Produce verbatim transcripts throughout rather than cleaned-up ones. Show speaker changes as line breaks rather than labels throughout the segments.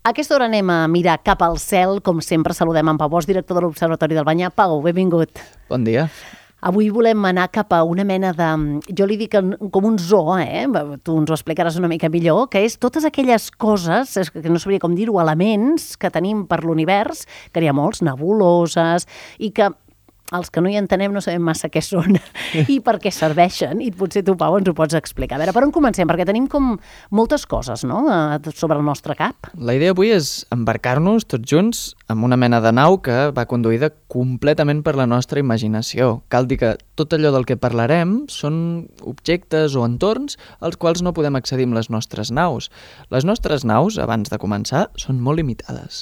A aquesta hora anem a mirar cap al cel. Com sempre, saludem en Pau Bosch, director de l'Observatori del Banyar. Pau, benvingut.
Bon dia.
Avui volem anar cap a una mena de... Jo li dic com un zoo, eh? Tu ens ho explicaràs una mica millor, que és totes aquelles coses, que no sabria com dir-ho, elements que tenim per l'univers, que n'hi ha molts, nebuloses, i que els que no hi entenem no sabem massa què són i per què serveixen, i potser tu, Pau, ens ho pots explicar. A veure, per on comencem? Perquè tenim com moltes coses, no?, sobre el nostre cap.
La idea avui és embarcar-nos tots junts en una mena de nau que va conduïda completament per la nostra imaginació. Cal dir que tot allò del que parlarem són objectes o entorns als quals no podem accedir amb les nostres naus. Les nostres naus, abans de començar, són molt limitades.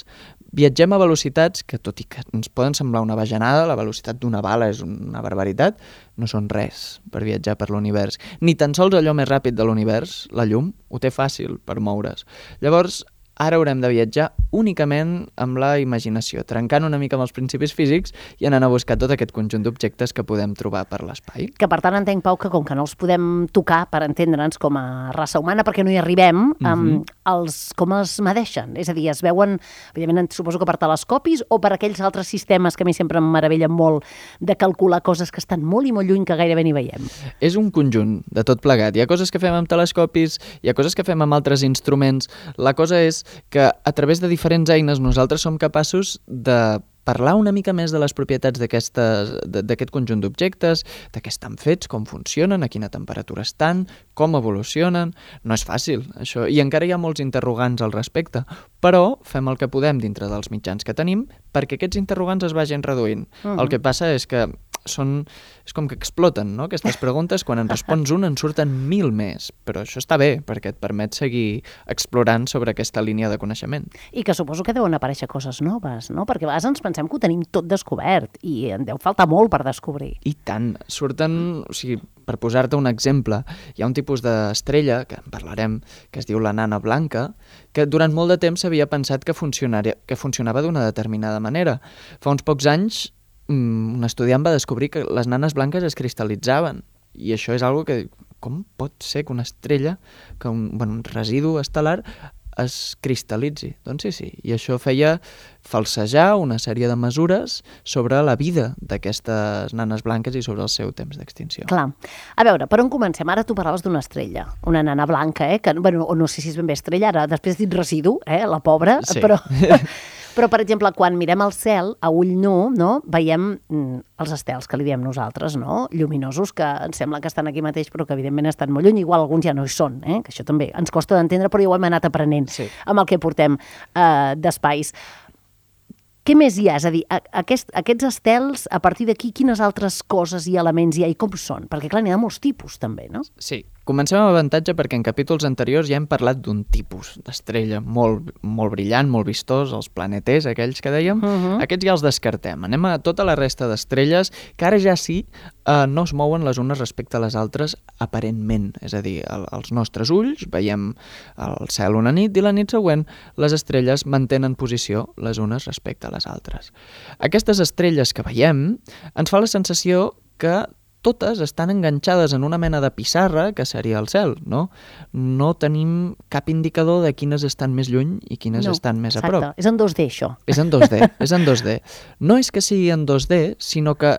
Viatgem a velocitats que, tot i que ens poden semblar una bajanada, la velocitat d'una bala és una barbaritat, no són res per viatjar per l'univers. Ni tan sols allò més ràpid de l'univers, la llum, ho té fàcil per moure's. Llavors, ara haurem de viatjar únicament amb la imaginació, trencant una mica amb els principis físics i anant a buscar tot aquest conjunt d'objectes que podem trobar per l'espai.
Que per tant entenc, Pau, que com que no els podem tocar per entendre'ns com a raça humana, perquè no hi arribem, mm-hmm. um, els, com els medeixen? És a dir, es veuen, evidentment, suposo que per telescopis o per aquells altres sistemes que a mi sempre em meravellen molt de calcular coses que estan molt i molt lluny que gairebé ni veiem.
És un conjunt de tot plegat. Hi ha coses que fem amb telescopis, hi ha coses que fem amb altres instruments. La cosa és que a través de diferents eines nosaltres som capaços de parlar una mica més de les propietats d'aquest conjunt d'objectes, de què estan fets, com funcionen, a quina temperatura estan, com evolucionen. No és fàcil, això, i encara hi ha molts interrogants al respecte, però fem el que podem dintre dels mitjans que tenim perquè aquests interrogants es vagin reduint. Uh-huh. El que passa és que són, és com que exploten, no?, aquestes preguntes. Quan en respons un en surten mil més, però això està bé perquè et permet seguir explorant sobre aquesta línia de coneixement.
I que suposo que deuen aparèixer coses noves, no?, perquè a vegades ens pensem que ho tenim tot descobert i en deu faltar molt per descobrir.
I tant, surten, o sigui, per posar-te un exemple, hi ha un tipus d'estrella, que en parlarem, que es diu la nana blanca, que durant molt de temps s'havia pensat que, que funcionava d'una determinada manera. Fa uns pocs anys un estudiant va descobrir que les nanes blanques es cristal·litzaven, i això és algo que, com pot ser que una estrella, que un, bueno, un residu estel·lar es cristal·litzi? Doncs sí, sí, i això feia falsejar una sèrie de mesures sobre la vida d'aquestes nanes blanques i sobre el seu temps d'extinció.
Clar. A veure, per on comencem? Ara tu parlaves d'una estrella, una nana blanca, eh? Que, bueno, no sé si és ben bé estrella, ara després has dit residu, eh? La pobra,
sí.
però... Però, per exemple, quan mirem el cel a ull nu, no, veiem mm, els estels, que li diem nosaltres, no? Lluminosos, que ens sembla que estan aquí mateix, però que evidentment estan molt lluny. Igual alguns ja no hi són, eh? Que això també ens costa d'entendre, però ja ho hem anat aprenent
sí.
amb el que portem eh, d'espais. Què més hi ha? És a dir, aquest, aquests estels, a partir d'aquí, quines altres coses i elements hi ha i com són? Perquè, clar, n'hi ha molts tipus, també, no?
Sí. Comencem amb avantatge perquè en capítols anteriors ja hem parlat d'un tipus d'estrella molt, molt brillant, molt vistós, els planeters, aquells que dèiem. Uh-huh. Aquests ja els descartem. Anem a tota la resta d'estrelles que ara ja sí eh, no es mouen les unes respecte a les altres aparentment. És a dir, el, els nostres ulls veiem el cel una nit i la nit següent les estrelles mantenen posició les unes respecte a les altres. Aquestes estrelles que veiem ens fa la sensació que totes estan enganxades en una mena de pissarra que seria el cel, no? No tenim cap indicador de quines estan més lluny i quines no, estan més
exacte.
A prop.
És en dos D, això.
És en dos D, és en dos D. No és que sigui en dos D, sinó que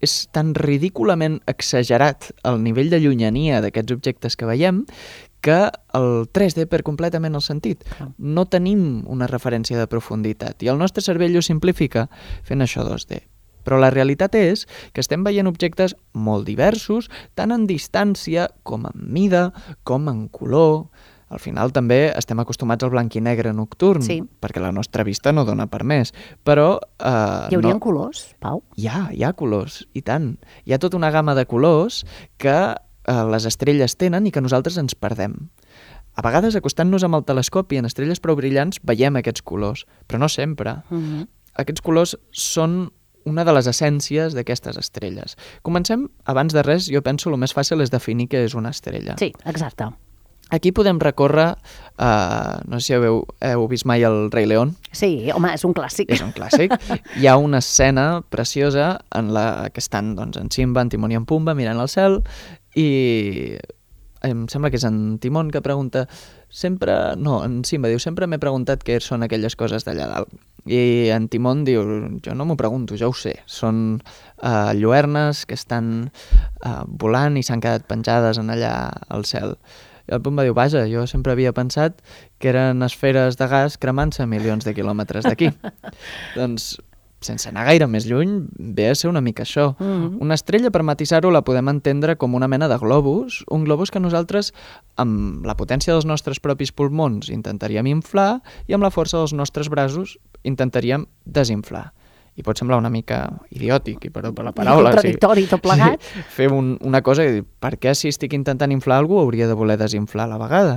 és tan ridículament exagerat el nivell de llunyania d'aquests objectes que veiem que el tres D perd completament el sentit. No tenim una referència de profunditat i el nostre cervell ho simplifica fent això dos D. Però la realitat és que estem veient objectes molt diversos, tant en distància com en mida, com en color. Al final també estem acostumats al blanc i negre nocturn,
sí.
perquè la nostra vista no dona per més. Però... Eh,
hi haurien
no...
colors, Pau?
Hi ha, hi ha colors, i tant. Hi ha tota una gamma de colors que eh, les estrelles tenen i que nosaltres ens perdem. A vegades, acostant-nos amb el telescopi en estrelles prou brillants, veiem aquests colors, però no sempre. Uh-huh. Aquests colors són una de les essències d'aquestes estrelles. Comencem, abans de res, jo penso el més fàcil és definir què és una estrella.
Sí, exacte.
Aquí podem recórrer, uh, no sé si heu, heu vist mai el Rei León.
Sí, home, és un clàssic.
És un clàssic. Hi ha una escena preciosa en la que estan doncs, en Simba, en Timon i en Pumba mirant al cel i em sembla que és en Timon que pregunta sempre... No, en Simba diu, sempre m'he preguntat què són aquelles coses d'allà dalt. I en Timon diu, jo no m'ho pregunto, ja ho sé. Són uh, lluernes que estan uh, volant i s'han quedat penjades en allà al cel. I el Pumba diu, vaja, jo sempre havia pensat que eren esferes de gas cremant-se milions de quilòmetres d'aquí. Doncs, sense anar gaire més lluny, ve a ser una mica això. Mm-hmm. Una estrella, per matisar-ho, la podem entendre com una mena de globus, un globus que nosaltres, amb la potència dels nostres propis pulmons, intentaríem inflar i amb la força dels nostres braços intentaríem desinflar. I pot semblar una mica idiòtic, i per, per la paraula.
Contradictori, sí, tot plegat.
Sí, fer un, una cosa i dir, per què si estic intentant inflar alguna cosa hauria de voler desinflar a la vegada?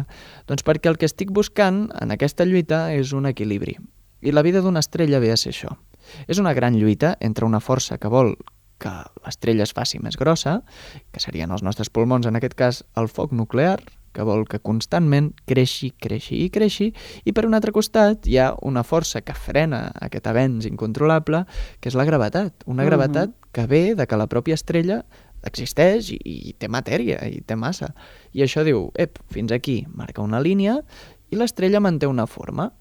Doncs perquè el que estic buscant en aquesta lluita és un equilibri. I la vida d'una estrella ve a ser això. És una gran lluita entre una força que vol que l'estrella es faci més grossa, que serien els nostres pulmons, en aquest cas el foc nuclear, que vol que constantment creixi, creixi i creixi, i per un altre costat hi ha una força que frena aquest avenç incontrolable, que és la gravetat. Una uh-huh. gravetat que ve de que la pròpia estrella existeix i, i té matèria, i té massa. I això diu, ep, fins aquí, marca una línia, i l'estrella manté una forma.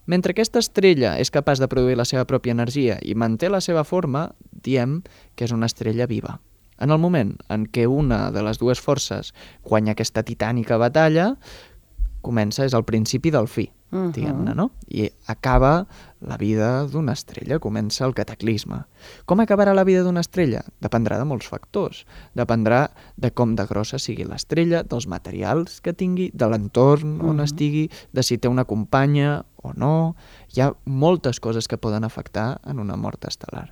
Mentre aquesta estrella és capaç de produir la seva pròpia energia i manté la seva forma, diem que és una estrella viva. En el moment en què una de les dues forces guanya aquesta titànica batalla, comença, és el principi del fi, uh-huh. diguem-ne, no? I acaba la vida d'una estrella, comença el cataclisme. Com acabarà la vida d'una estrella? Dependrà de molts factors. Dependrà de com de grossa sigui l'estrella, dels materials que tingui, de l'entorn on uh-huh. estigui, de si té una companya o no. Hi ha moltes coses que poden afectar en una mort estel·lar.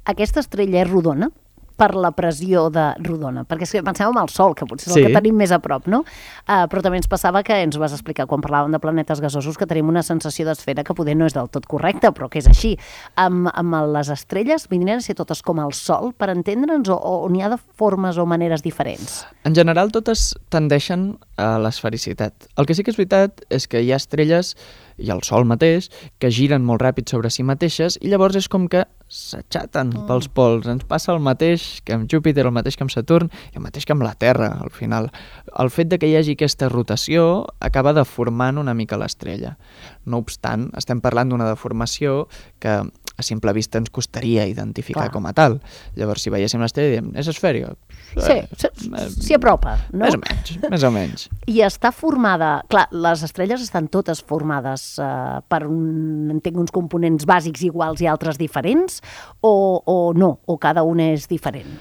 Aquesta estrella és rodona? Per la pressió de rodona, perquè si pensem en el Sol, que potser és
sí.
el que tenim més a prop, no? Uh, però també ens passava que ens ho vas explicar quan parlàvem de planetes gasosos, que tenim una sensació d'esfera que poder no és del tot correcta, però que és així. Amb, amb les estrelles vindrien a ser totes com el Sol, per entendre'ns, o, o n'hi ha de formes o maneres diferents?
En general, totes tendeixen a l'esfericitat. El que sí que és veritat és que hi ha estrelles, i el Sol mateix, que giren molt ràpid sobre si mateixes, i llavors és com que s'aixaten mm. pels pols. Ens passa el mateix que amb Júpiter, el mateix que amb Saturn i el mateix que amb la Terra, al final. El fet de que hi hagi aquesta rotació acaba deformant una mica l'estrella. No obstant, estem parlant d'una deformació que a simple vista ens costaria identificar Clar. Com a tal. Llavors, si veiéssim l'estrella, diem, és esfèrica?
Sí, s'hi apropa, no?
Més o menys, més o menys.
I està formada... Clar, les estrelles estan totes formades eh, per un, entenc, uns components bàsics iguals i altres diferents, o, o no? O cada una és diferent?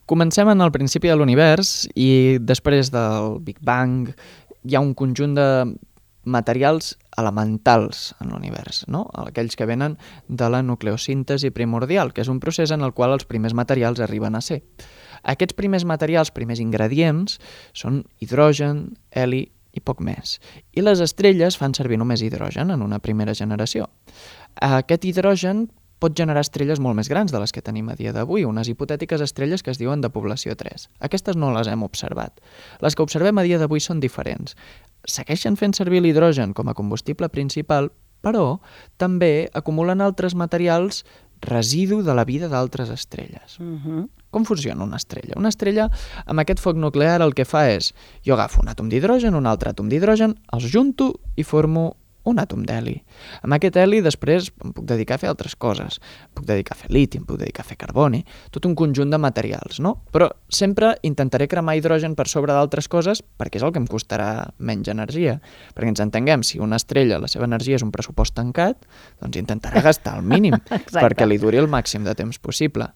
Comencem en el principi de l'univers i després del Big Bang hi ha un conjunt de materials elementals en l'univers, no? Aquells que venen de la nucleosíntesi primordial, que és un procés en el qual els primers materials arriben a ser. Aquests primers materials, primers ingredients, són hidrogen, heli i poc més. I les estrelles fan servir només hidrogen en una primera generació. Aquest hidrogen pot generar estrelles molt més grans de les que tenim a dia d'avui, unes hipotètiques estrelles que es diuen de població tres. Aquestes no les hem observat. Les que observem a dia d'avui són diferents. Segueixen fent servir l'hidrogen com a combustible principal, però també acumulen altres materials residu de la vida d'altres estrelles. Uh-huh. Com funciona una estrella? Una estrella, amb aquest foc nuclear, el que fa és, jo agafo un àtom d'hidrogen, un altre àtom d'hidrogen, els junto i formo un àtom d'heli. Amb aquest heli després em puc dedicar a fer altres coses. Em puc dedicar a fer liti, em puc dedicar a fer carboni, tot un conjunt de materials, no? Però sempre intentaré cremar hidrogen per sobre d'altres coses perquè és el que em costarà menys energia. Perquè ens entenguem, si una estrella, la seva energia és un pressupost tancat, doncs intentarà gastar el mínim perquè li duri el màxim de temps possible.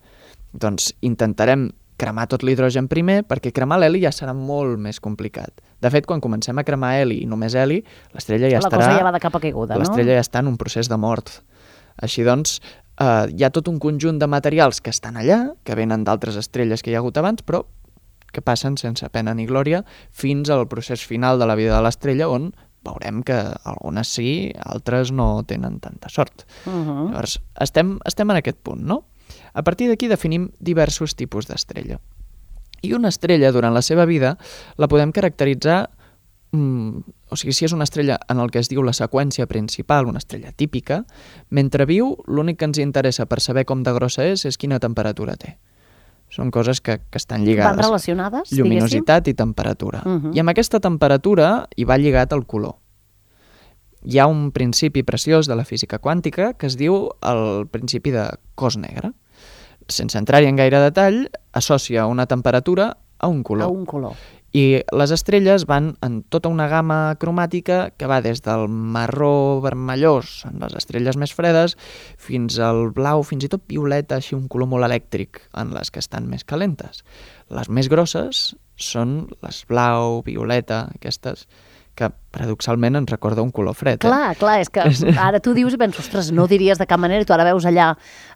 Doncs intentarem cremar tot l'hidrogen primer, perquè cremar l'heli ja serà molt més complicat. De fet, quan comencem a cremar heli i només heli, l'estrella ja
la
estarà...
La cosa ja va de capa caiguda, no?
L'estrella ja està en un procés de mort. Així doncs, eh, hi ha tot un conjunt de materials que estan allà, que venen d'altres estrelles que hi ha hagut abans, però que passen sense pena ni glòria fins al procés final de la vida de l'estrella, on veurem que algunes sí, altres no tenen tanta sort. Uh-huh. Llavors, estem, estem en aquest punt, no? A partir d'aquí definim diversos tipus d'estrella. I una estrella, durant la seva vida, la podem caracteritzar, mm, o sigui, si és una estrella en el que es diu la seqüència principal, una estrella típica, mentre viu, l'únic que ens interessa per saber com de grossa és, és quina temperatura té. Són coses que, que estan lligades.
Van relacionades,
lluminositat diguéssim? I temperatura. Uh-huh. I amb aquesta temperatura hi va lligat el color. hi ha un principi preciós de la física quàntica que es diu el principi de cos negre. Sense entrar-hi en gaire detall, associa una temperatura a un color.
A un color.
I les estrelles van en tota una gamma cromàtica que va des del marró vermellós en les estrelles més fredes fins al blau, fins i tot violeta, així un color molt elèctric en les que estan més calentes. Les més grosses són les blau, violeta, aquestes que paradoxalment ens recorda un color fred.
Clar,
eh?
clar, és que ara tu dius i penso, ostres, no diries de cap manera, i tu ara veus allà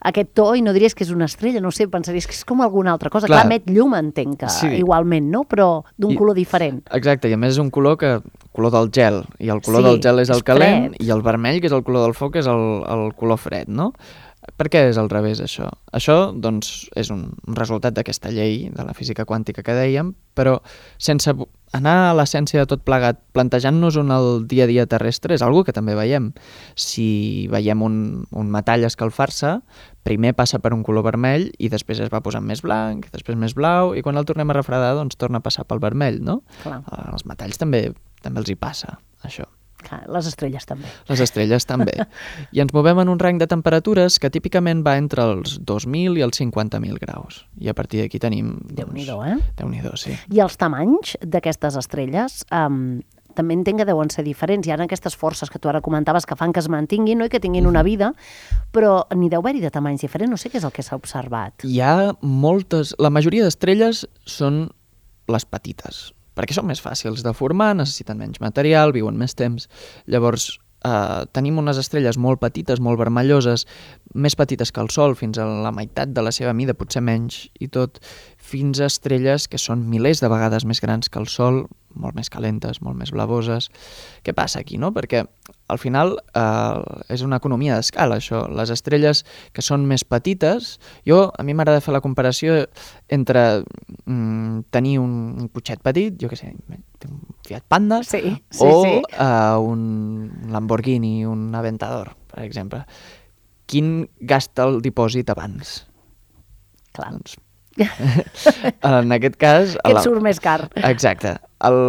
aquest to i no diries que és una estrella, no sé, pensaries que és com alguna altra cosa. Clar, clar emet llum, entenc que sí. Igualment, no? Però d'un color diferent.
Exacte, i a més és un color que color del gel, i el color
sí,
del gel és el
és
calent,
fred.
I el vermell, que és el color del foc, és el, el color fred, no? Per què és al revés, això? Això, doncs, és un resultat d'aquesta llei de la física quàntica que dèiem, però sense anar a l'essència de tot plegat, plantejant-nos un el dia a dia terrestre, és algo que també veiem. Si veiem un, un metall escalfar-se, primer passa per un color vermell i després es va posant més blanc, després més blau, i quan el tornem a refredar, doncs torna a passar pel vermell, no?
Clar.
Els metalls també, també els hi passa, això.
Clar, les estrelles també.
Les estrelles també. I ens movem en un rang de temperatures que típicament va entre els dos mil i els cinquanta mil graus. I a partir d'aquí tenim... Doncs,
Déu-n'hi-do, eh?
Déu-n'hi-do, sí.
I els tamanys d'aquestes estrelles um, també entenc que deuen ser diferents. Hi ha aquestes forces que tu ara comentaves que fan que es mantinguin, no? I que tinguin una vida, però n'hi deu haver-hi de tamanys diferents. No sé què és el que s'ha observat.
Hi ha moltes... La majoria d'estrelles són les petites, perquè són més fàcils de formar, necessiten menys material, viuen més temps. Llavors, eh, tenim unes estrelles molt petites, molt vermelloses, més petites que el Sol, fins a la meitat de la seva mida, potser menys i tot, fins a estrelles que són milers de vegades més grans que el Sol, molt més calentes, molt més blavoses. Què passa aquí, no? Perquè al final eh, és una economia d'escala, això. Les estrelles que són més petites, jo, a mi m'agrada fer la comparació entre mm, tenir un, un cotxet petit, jo què sé, un Fiat Panda,
sí, sí,
o
sí.
Uh, un Lamborghini, un Aventador, per exemple. Quin gasta el dipòsit abans?
Clar.
Doncs, en aquest cas...
Que et
la...
surt més car.
Exacte.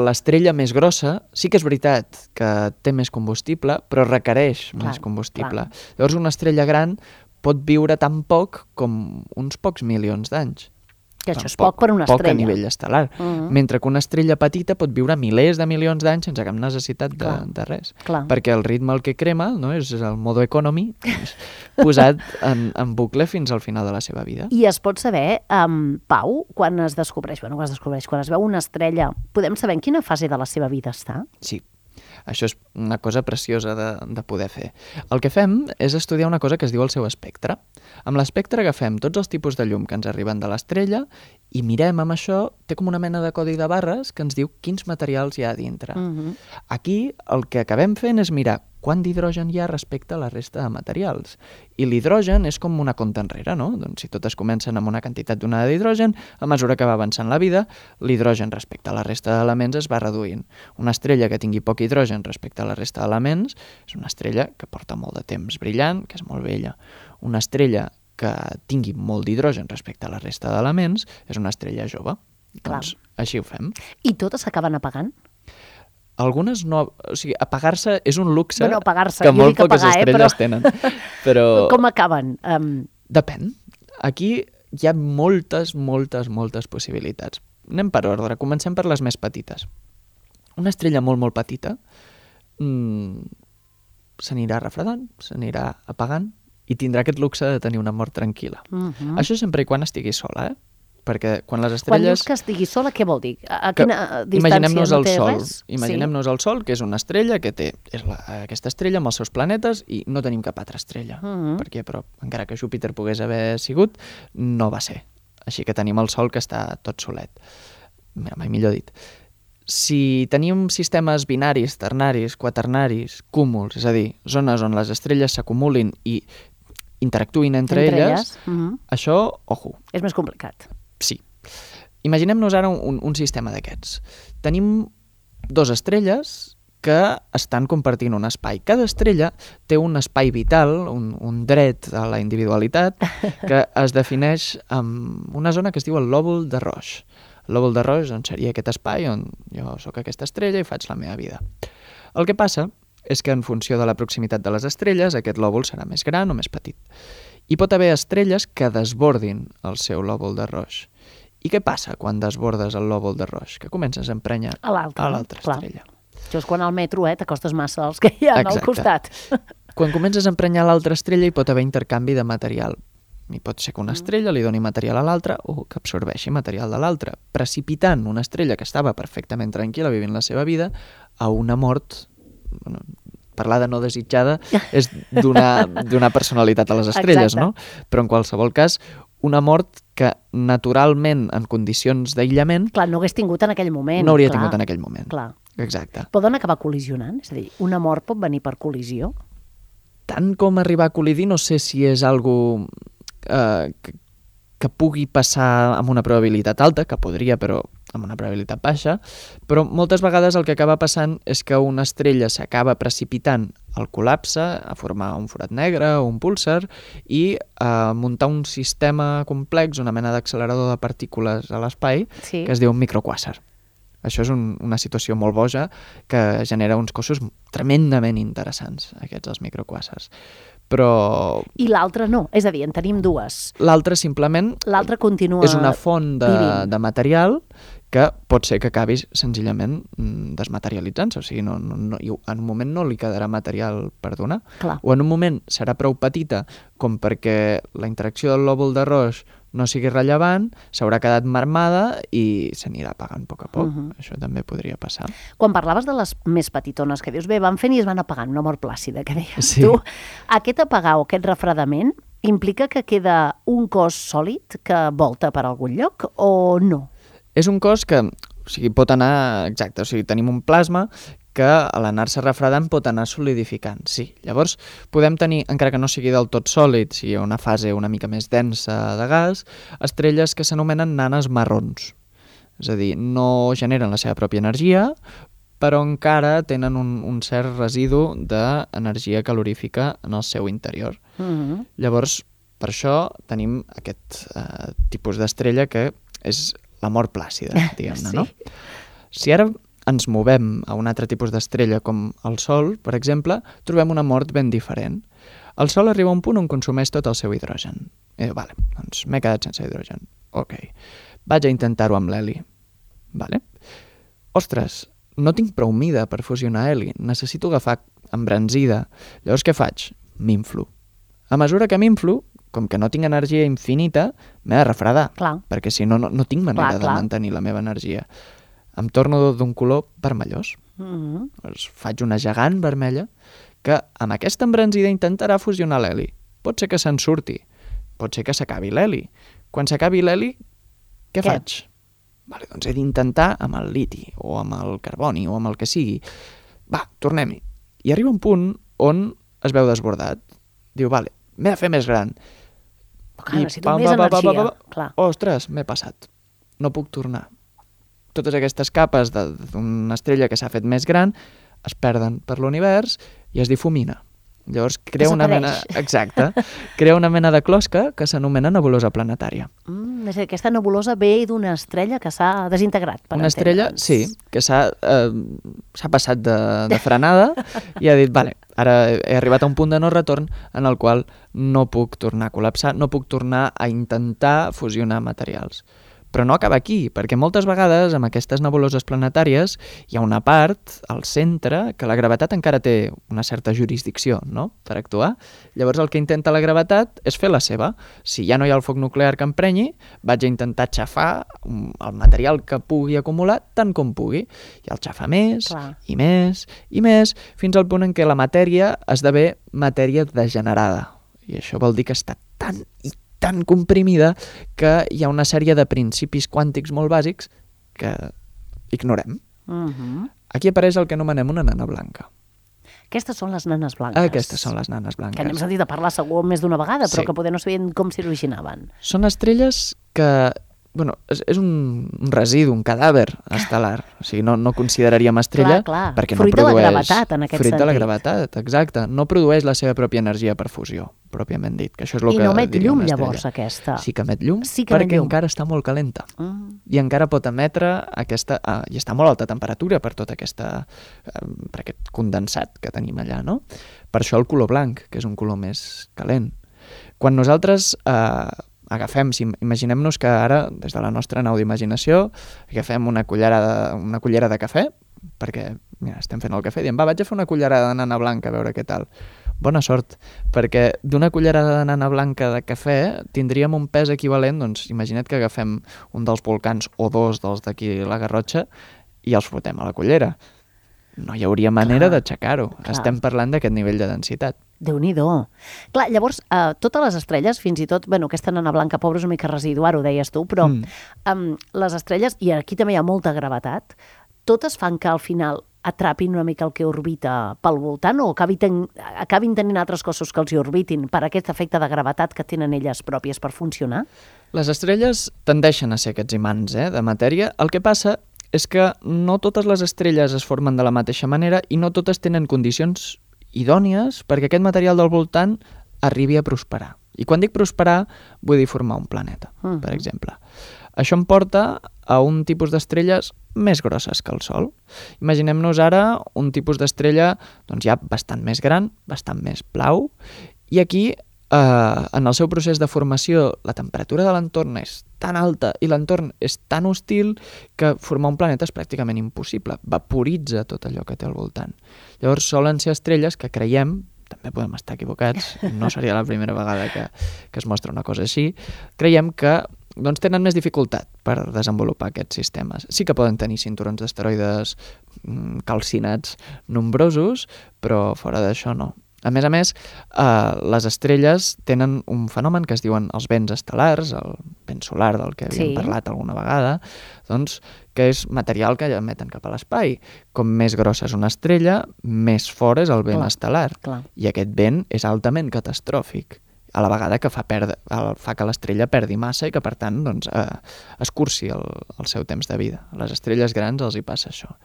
L'estrella més grossa sí que és veritat que té més combustible, però requereix clar, més combustible. Clar. Llavors una estrella gran pot viure tan poc com uns pocs milions d'anys.
Que això és poc, poc per una
poc
estrella.
Poc a nivell estel·lar. Uh -huh. Mentre que una estrella petita pot viure milers de milions d'anys sense cap necessitat de, de res.
Clar.
Perquè el ritme al que crema, no, és el modo economy, doncs, posat en, en bucle fins al final de la seva vida.
I es pot saber, um, Pau, quan es descobreix, bueno, quan es descobreix, quan es veu una estrella, podem saber en quina fase de la seva vida està?
Sí. Això és una cosa preciosa de, de poder fer. El que fem és estudiar una cosa que es diu el seu espectre. Amb l'espectre agafem tots els tipus de llum que ens arriben de l'estrella i mirem amb això, té com una mena de codi de barres que ens diu quins materials hi ha a dintre.
Uh-huh.
Aquí el que acabem fent és mirar quant d'hidrogen hi ha respecte a la resta de materials. I l'hidrogen és com una compta enrere, no? Doncs si totes comencen amb una quantitat donada d'hidrogen, a mesura que va avançant la vida, l'hidrogen respecte a la resta d'elements es va reduint. Una estrella que tingui poc hidrogen respecte a la resta d'elements és una estrella que porta molt de temps brillant, que és molt vella. Una estrella que tingui molt d'hidrogen respecte a la resta d'elements és una estrella jove.
Clar.
Doncs així ho fem.
I totes s'acaben apagant?
Algunes no... O sigui, apagar-se és un luxe
bueno, apagar-se.
que
jo
molt
dic
poques
apagar,
estrelles
eh, però...
tenen. Però...
Com acaben? Um...
Depèn. Aquí hi ha moltes, moltes, moltes possibilitats. Anem per ordre. Comencem per les més petites. Una estrella molt, molt petita mmm, s'anirà refredant, s'anirà apagant i tindrà aquest luxe de tenir una mort tranquil·la. Uh-huh. Això sempre i quan estigui sola, eh? Perquè quan les estrelles...
Quan dius que estigui sola, què vol dir? A, a quina distància
imaginem-nos
no
el
té
Sol.
res?
Imaginem-nos sí. el Sol, que és una estrella que té és la, aquesta estrella amb els seus planetes i no tenim cap altra estrella. Uh-huh. Perquè, però, encara que Júpiter pogués haver sigut, no va ser. Així que tenim el Sol que està tot solet. Mai millor dit. Si tenim sistemes binaris, ternaris, quaternaris, cúmuls, és a dir, zones on les estrelles s'acumulin i interactuïn entre, entre elles, elles uh-huh. això, ojo.
És més complicat.
Sí. Imaginem-nos ara un, un sistema d'aquests. Tenim dues estrelles que estan compartint un espai. Cada estrella té un espai vital, un, un dret a la individualitat, que es defineix amb una zona que es diu el lòbul de Roche. El lòbul de Roche doncs, seria aquest espai on jo sóc aquesta estrella i faig la meva vida. El que passa és que en funció de la proximitat de les estrelles, aquest lòbul serà més gran o més petit. Hi pot haver estrelles que desbordin el seu lòbul de roix. I què passa quan desbordes el lòbul de roix? Que comences a emprenyar
a l'altra,
a l'altra estrella.
Això és quan al metro eh, t'acostes massa als que hi ha al costat.
Quan comences a emprenyar l'altra estrella hi pot haver intercanvi de material. I pot ser que una estrella li doni material a l'altra o que absorbeixi material de l'altra, precipitant una estrella que estava perfectament tranquil·la vivint la seva vida a una mort... Bueno, parlar de no desitjada és d'una personalitat a les estrelles,
Exacte.
no? Però en qualsevol cas, una mort que naturalment, en condicions d'aïllament...
Clar, no hagués tingut en aquell moment.
No hauria
clar.
tingut en aquell moment.
Clar.
Exacte.
Poden acabar col·lisionant? És a dir, una mort pot venir per col·lisió?
Tant com arribar a col·lidir, no sé si és algo eh, que, que pugui passar amb una probabilitat alta, que podria, però amb una probabilitat baixa, però moltes vegades el que acaba passant és que una estrella s'acaba precipitant al col·lapse, a formar un forat negre o un púlsar i a muntar un sistema complex, una mena d'accelerador de partícules a l'espai,
Sí.
que es diu un microquàsar. Això és un, una situació molt boja que genera uns cossos tremendament interessants, aquests els microquàsars. Però
I l'altra no. És a dir, en tenim dues.
l'altre simplement
L'altra continua
és una font de,
vivint.
de material que pot ser que acabi senzillament mm, desmaterialitzant-se. O sigui, no, no, no, i en un moment no li quedarà material per donar.
Clar.
O en un moment serà prou petita com perquè la interacció del lòbul de roix no sigui rellevant, s'haurà quedat marmada i s'anirà apagant a poc a poc.
Mhm.
Això també podria passar.
Quan parlaves de les més petitones, que dius, bé, van fent i es van apagant, una mort plàcida, que deies
Sí.
tu. Aquest apagar o aquest refredament implica que queda un cos sòlid que volta per algun lloc o no?
És un cos que, o sigui, pot anar, exacte, o sigui, tenim un plasma que a l'anar-se refredant pot anar solidificant, sí. Llavors, podem tenir, encara que no sigui del tot sòlid, sigui una fase una mica més densa de gas, estrelles que s'anomenen nanes marrons. És a dir, no generen la seva pròpia energia, però encara tenen un, un cert residu d'energia calorífica en el seu interior.
Mm-hmm.
Llavors, per això tenim aquest eh, tipus d'estrella que és la mort plàcida, diguem-ne,
Sí.
no? Si ara ens movem a un altre tipus d'estrella com el Sol, per exemple, trobem una mort ben diferent. El Sol arriba a un punt on consumeix tot el seu hidrogen. I diu, vale, doncs m'he quedat sense hidrogen. Ok, vaig a intentar-ho amb l'heli. Vale. Ostres, no tinc prou mida per fusionar heli, necessito agafar embranzida. Llavors què faig? M'inflo. A mesura que m'inflo, com que no tinc energia infinita, m'he de refredar,
Clar.
perquè si no, no, no tinc manera
Clar,
de
clar.
mantenir la meva energia. Em torno d'un color vermellós.
Mm-hmm.
Llavors faig una gegant vermella que amb aquesta embranzida intentarà fusionar l'heli. Pot ser que se'n surti, pot ser que s'acabi l'heli. Quan s'acabi l'heli, què,
Què?
faig? Vale, doncs he d'intentar amb el liti, o amb el carboni, o amb el que sigui. Va, tornem-hi. I arriba un punt on es veu desbordat. Diu, vale, m'he de fer més gran.
Clar,
I
necessito
pam,
més
pam, pam, pam,
energia.
pam, pam.
Clar.
Ostres, m'he passat. No puc tornar. Totes aquestes capes de- d'una estrella que s'ha fet més gran es perden per l'univers i es difumina. Llavors crea una mena...
Desapareix.
Exacte. Crea una mena de closca que s'anomena nebulosa planetària.
Mm, és a dir, aquesta nebulosa ve d'una estrella que s'ha desintegrat. Per
Una estrella,
entendre'ns.
sí, que s'ha eh, s'ha passat de, de frenada i ha dit, vale, ara he arribat a un punt de no retorn en el qual no puc tornar a col·lapsar, no puc tornar a intentar fusionar materials. Però no acaba aquí, perquè moltes vegades amb aquestes nebuloses planetàries hi ha una part, al centre, que la gravetat encara té una certa jurisdicció, no?, per actuar. Llavors el que intenta la gravetat és fer la seva. Si ja no hi ha el foc nuclear que emprenyi, vaig a intentar xafar el material que pugui acumular tant com pugui. I el xafa més,
Clar.
i més, i més, fins al punt en què la matèria esdevé matèria degenerada. I això vol dir que està tan i tan comprimida que hi ha una sèrie de principis quàntics molt bàsics que ignorem.
Mm-hmm.
Aquí apareix el que anomenem una nana blanca.
Aquestes són les nanes blanques.
Aquestes són les nanes blanques.
Que n'hem sentit a parlar segur més d'una vegada, però
Sí.
que poder no sabien com s'originaven.
Són estrelles que... Bueno, és, és un, un residu, un cadàver estel·lar. O sigui, no, no consideraríem estrella
Clar, clar.
perquè
Fruit
no
de la
produeix...
gravetat, en aquest
Fruit de la
sentit.
gravetat, exacte. No produeix la seva pròpia energia per fusió. pròpiament dit, que això és el
I
que
no emet
diria
llum,
una estrella.
llavors, aquesta?
Sí que emet llum,
Sí que emet
perquè
llum.
encara està molt calenta.
Mm.
I encara pot emetre aquesta... Ah, i està a molt alta temperatura per tota aquesta... Eh, per aquest condensat que tenim allà, no? Per això el color blanc, que és un color més calent. Quan nosaltres eh, agafem, si imaginem-nos que ara, des de la nostra nau d'imaginació, agafem una cullerada, una cullera de cafè, perquè mira, estem fent el cafè, diem, va, vaig a fer una cullerada de nana blanca a veure què tal. Bona sort, perquè d'una cullerada de nana blanca de cafè tindríem un pes equivalent, doncs imagina't que agafem un dels volcans o dos dels d'aquí la Garrotxa i els fotem a la cullera. No hi hauria manera d'aixecar-ho. Estem parlant d'aquest nivell de densitat.
Déu-n'hi-do. Clar, llavors, eh, totes les estrelles, fins i tot, bueno, aquesta nana blanca pobra és una mica residuar, ho deies tu, però mm. um, les estrelles, i aquí també hi ha molta gravetat, totes fan que al final atrapin una mica el que orbita pel voltant o acabin, ten, acabin tenint altres cossos que els hi orbitin per aquest efecte de gravetat que tenen elles pròpies per funcionar?
Les estrelles tendeixen a ser aquests imants eh, de matèria. El que passa és que no totes les estrelles es formen de la mateixa manera i no totes tenen condicions idònies perquè aquest material del voltant arribi a prosperar. I quan dic prosperar, vull dir formar un planeta, uh-huh. per exemple. Això em porta a un tipus d'estrelles més grosses que el Sol. Imaginem-nos ara un tipus d'estrella doncs ja bastant més gran, bastant més blau, i aquí, eh, en el seu procés de formació, la temperatura de l'entorn és tan alta i l'entorn és tan hostil que formar un planeta és pràcticament impossible. Vaporitza tot allò que té al voltant. Llavors solen ser estrelles que creiem, també podem estar equivocats, no seria la primera vegada que, que es mostra una cosa així, creiem que doncs, tenen més dificultat per desenvolupar aquests sistemes. Sí que poden tenir cinturons d'asteroides calcinats nombrosos, però fora d'això no. A més a més, eh, les estrelles tenen un fenomen que es diuen els vents estel·lars, el vent solar del que havíem sí. parlat alguna vegada, doncs, que és material que emeten cap a l'espai. Com més grossa és una estrella, més fort és el vent clar, estel·lar. Clar. I aquest vent és altament catastròfic, a la vegada que fa, perdre, fa que l'estrella perdi massa i que, per tant, doncs, eh, escurci el, el seu temps de vida. A les estrelles grans els hi passa això.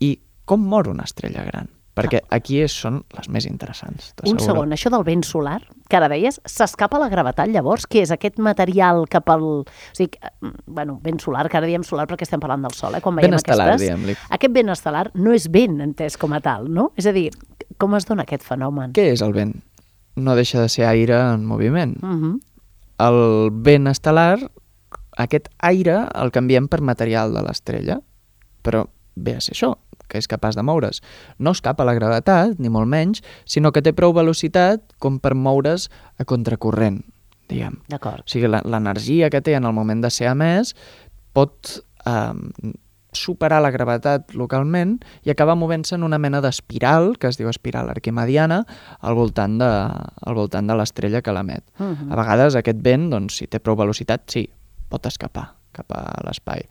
I com mor una estrella gran? Perquè aquí és, són les més interessants.
Un segon, això del vent solar, que ara deies, s'escapa la gravetat llavors? Què és aquest material cap al... O sigui, bueno, vent solar, que ara diem solar perquè estem parlant del sol, eh? Quan veiem
vent estel·lar,
aquestes,
diguem-li.
Aquest vent estel·lar no és vent entès com a tal, no? És a dir, com es dona aquest fenomen?
Què és el vent? No deixa de ser aire en moviment.
Uh-huh.
El vent estel·lar, aquest aire el canviem per material de l'estrella, però ve a ser això, que és capaç de moure's. No escapa a la gravetat, ni molt menys, sinó que té prou velocitat com per moure's a contracorrent, diguem.
D'acord.
O sigui, l'energia que té en el moment de ser emès pot eh, superar la gravetat localment i acabar movent-se en una mena d'espiral, que es diu espiral arquimediana, al voltant de, al voltant de l'estrella que l'emet. Uh-huh. A vegades aquest vent, doncs, si té prou velocitat, sí, pot escapar cap a l'espai.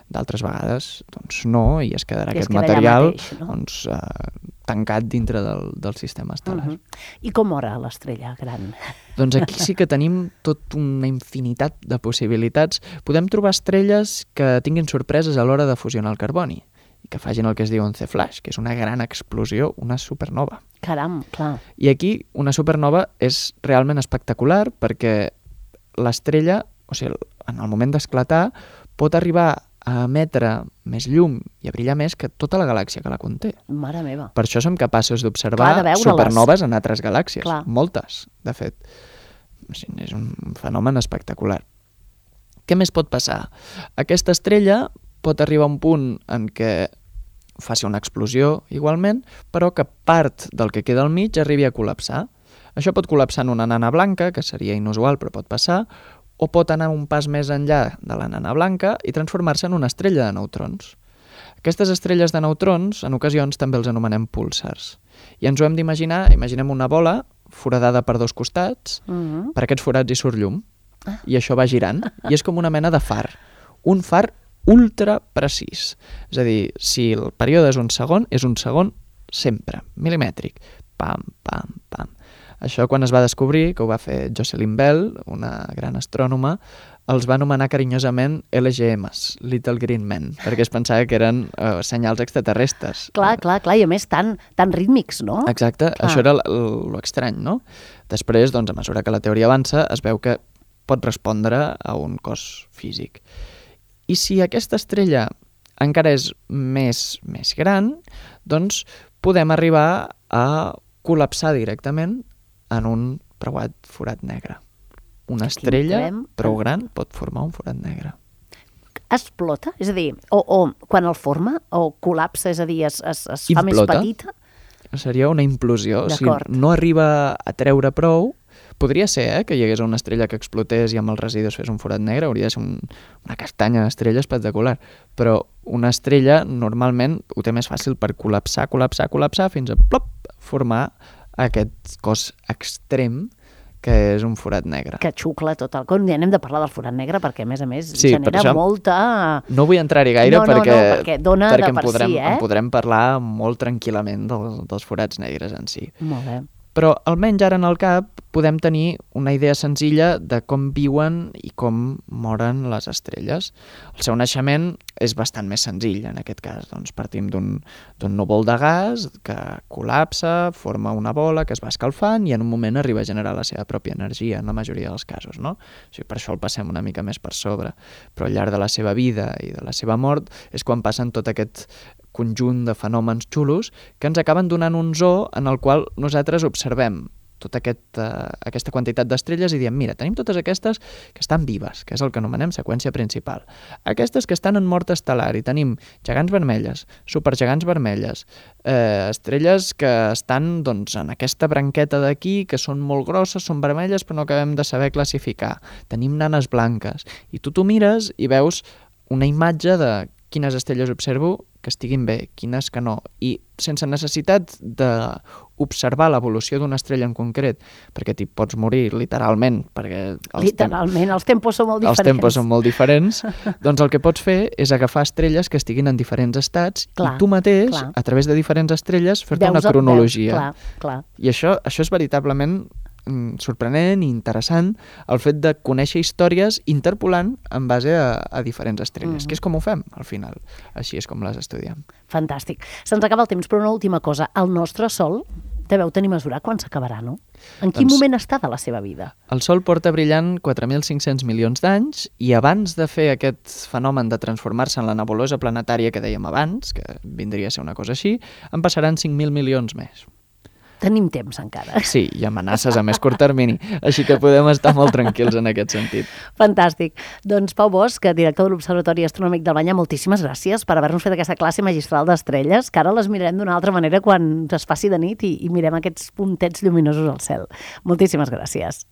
D'altres vegades, doncs no, i es quedarà I aquest es queda material mateix, no? doncs, eh, tancat dintre del, del sistema estel·lar.
Uh-huh. I com mora l'estrella gran?
Doncs aquí sí que tenim tota una infinitat de possibilitats. Podem trobar estrelles que tinguin sorpreses a l'hora de fusionar el carboni i que facin el que es diu un C-flash, que és una gran explosió, una supernova.
Caram, clar.
I aquí una supernova és realment espectacular perquè l'estrella, o sigui, en el moment d'esclatar, pot arribar a emetre més llum i a brillar més que tota la galàxia que la conté.
Mare meva.
Per això som capaços d'observar supernoves en altres galàxies. Clar. Moltes, de fet. És un fenomen espectacular. Què més pot passar? Aquesta estrella pot arribar a un punt en què faci una explosió igualment, però que part del que queda al mig arribi a col·lapsar. Això pot col·lapsar en una nana blanca, que seria inusual però pot passar, o pot anar un pas més enllà de la nana blanca i transformar-se en una estrella de neutrons. Aquestes estrelles de neutrons, en ocasions, també els anomenem púlsars. I ens ho hem d'imaginar, imaginem una bola foradada per dos costats, uh-huh. per aquests forats hi surt llum, ah. i això va girant, i és com una mena de far. Un far ultra precís. És a dir, si el període és un segon, és un segon sempre, milimètric. Pam, pam, pam. Això, quan es va descobrir, que ho va fer Jocelyn Bell, una gran astrònoma, els va anomenar carinyosament L G Ms, Little Green Men, perquè es pensava que eren eh, senyals extraterrestres.
Clar, clar, clar, i a més tan, tan rítmics, no?
Exacte, clar. Això era l'estrany, no? Després, doncs, a mesura que la teoria avança, es veu que pot respondre a un cos físic. I si aquesta estrella encara és més, més gran, doncs podem arribar a col·lapsar directament en un preuat forat negre. Una estrella prou gran pot formar un forat negre.
Explota? És a dir, o, o quan el forma, o col·lapsa, és a dir, es, es, es fa més petita?
Seria una implosió. Si no arriba a treure prou, podria ser eh, que hi hagués una estrella que explotés i amb els residus fes un forat negre, hauria de ser un, una castanya d'estrella espectacular. Però una estrella normalment ho té més fàcil per col·lapsar, col·lapsar, col·lapsar, fins a plop, formar aquest cos extrem que és un forat negre.
Que xucla tot el con. Ja n'hem de parlar del forat negre perquè, a més a més, sí, genera això, molta...
No vull entrar-hi gaire
no, no,
perquè,
no, perquè dona
perquè
de per
en podrem,
si, eh?
en podrem parlar molt tranquil·lament del, dels forats negres en si.
Molt bé.
Però almenys ara en el cap podem tenir una idea senzilla de com viuen i com moren les estrelles. El seu naixement és bastant més senzill en aquest cas. Doncs partim d'un núvol de gas que col·lapsa, forma una bola que es va escalfant i en un moment arriba a generar la seva pròpia energia en la majoria dels casos, no? O sigui, per això el passem una mica més per sobre. Però al llarg de la seva vida i de la seva mort és quan passen tot aquest conjunt de fenòmens xulos que ens acaben donant un zoo en el qual nosaltres observem tota aquest, uh, aquesta quantitat d'estrelles i diem, mira, tenim totes aquestes que estan vives, que és el que anomenem seqüència principal. Aquestes que estan en mort estel·lar i tenim gegants vermelles, supergegants vermelles, eh, estrelles que estan doncs, en aquesta branqueta d'aquí, que són molt grosses, són vermelles, però no acabem de saber classificar. Tenim nanes blanques. I tu t'ho mires i veus una imatge de quines estrelles observo que estiguin bé, quines que no, i sense necessitat d'observar l'evolució d'una estrella en concret, perquè t'hi pots morir literalment, perquè els
literalment, tem els tempos són molt diferents.
Els tempos són molt diferents, doncs el que pots fer és agafar estrelles que estiguin en diferents estats clar, i tu mateix, clar. a través de diferents estrelles, fer-te una cronologia.
Veus, clar, clar.
I això, això és veritablement sorprenent i interessant el fet de conèixer històries interpolant en base a, a diferents estrelles, mm. que és com ho fem al final, així és com les estudiem.
Fantàstic. Se'ns acaba el temps, però una última cosa, el nostre Sol deveu tenir mesurar quan s'acabarà, no? En quin doncs, moment està de la seva vida?
El Sol porta brillant quatre mil cinc-cents milions d'anys i abans de fer aquest fenomen de transformar-se en la nebulosa planetària que dèiem abans, que vindria a ser una cosa així, en passaran cinc mil milions més.
Tenim temps encara.
Sí, i amenaces a més curt termini, així que podem estar molt tranquils en aquest sentit.
Fantàstic. Doncs Pau Bosch, director de l'Observatori Astronòmic del Banyà, moltíssimes gràcies per haver-nos fet aquesta classe magistral d'estrelles, que ara les mirarem d'una altra manera quan es faci de nit i, i mirem aquests puntets lluminosos al cel. Moltíssimes gràcies.